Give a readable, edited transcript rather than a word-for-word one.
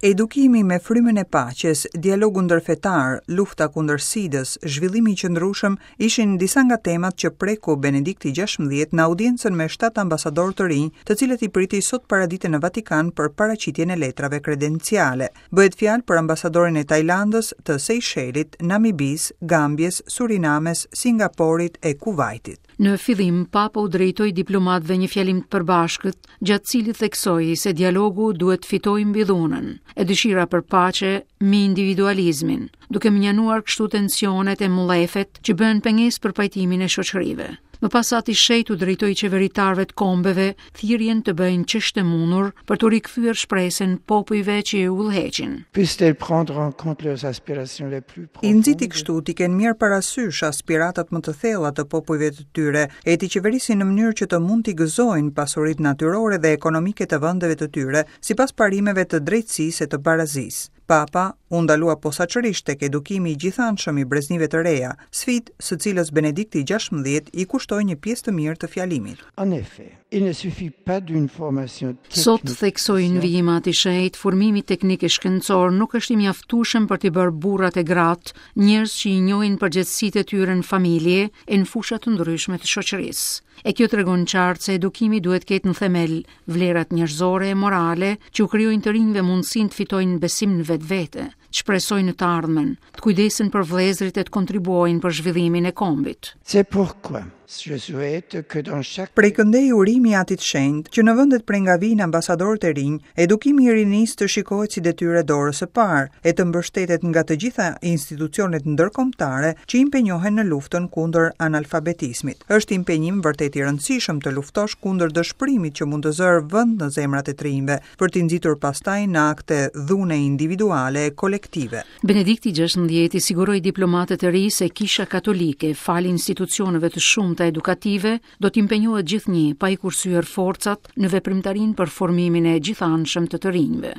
Edukimi me frymën e paqes, dialogu ndërfetar, lufta kundër SIDës, zhvillimi i qëndrueshëm ishin disa nga temat që preku Benedikti XVI në audiencën me shtatë ambasadorë të rinj, të cilët i priti sot paradite në Vatikan për paraqitjen e letrave kredenciale. Bëhet fjalë për ambasadorin e Tajlandës, të Sejshelit, Namibisë, Gambjes, Surinames, Singaporit e Kuvajtit. Në fillim, Papa u drejtoi diplomatëve një fjalim të përbashkët, gjatë cilit theksoi se dialogu duhet të fitojë mbi dhunën, e dëshira për paqe mbi individualizmin, duke mënjanuar kështu tensionet e mllefet që bëhen pengesë për pajtimin e shoqërive. Më pas Ati i Shenjtë u drejtoi qeveritarëve të kombeve thirrjen të bëjnë ç'është e mundur për t'u rikthyer shpresën popujve që i udhëheqin. I nxiti kështu t'i kenë mirë parasysh aspiratat më të thella të popujve të tyre e t'i qeverisin në mënyrë që të mund t'i gëzojnë pasuritë natyrore dhe ekonomike të vendeve të tyre, sipas parimeve të drejtësisë e të barazisë. Papa u ndalua posaçërisht tek edukimi i gjithanshëm i breznive të reja, sfidë së cilës Benedikti XVI i kushtoi një pjesë të mirë të fjalimit. En effet, il ne suffit pas d'une formation Sot, theksoi në vijim Ati i Shenjtë, formimi teknik e shkencor nuk është i mjaftueshëm për t'i bërë burrat e gratë njerëz që i njohin përgjegjësitë e tyre në familje e në fusha të ndryshme të shoqërisë. E kjo tregon qartë se edukimi duhet të ketë në themel vlerat njerëzore e morale që u krijojnë të rinjve mundësinë të fitojnë besim në vetvete, të shpresojnë në të ardhmen, të kujdesen për vëllezërit e të kontribuojnë për zhvillimin e kombit. C'est pourquoi je souhaite que dans chaque Prej këndej urimi i Atit të Shenjtë, që në vendet prej nga vijnë ambasadorët e rinj, edukimi i rinisë të shikohet si detyrë e dorës së parë, e të mbështetet nga të gjitha institucionet ndërkombëtare që impenjohen në luftën kundër analfabetizmit. Është impenjim vërtet i rëndësishëm të luftosh kundër dëshpërimit që mund të zërë vend në zemrat e të rinjve, për t'i nxitur pastaj në akte dhune individuale e kolektive. Benedikti XVI i siguroi diplomatët e rinj se Kisha Katolike, falë institucioneve të shumta edukative, do të impenjohet gjithnjë pa i kursyer forcat në veprimtarinë për formimin e gjithanshëm të të rinjve.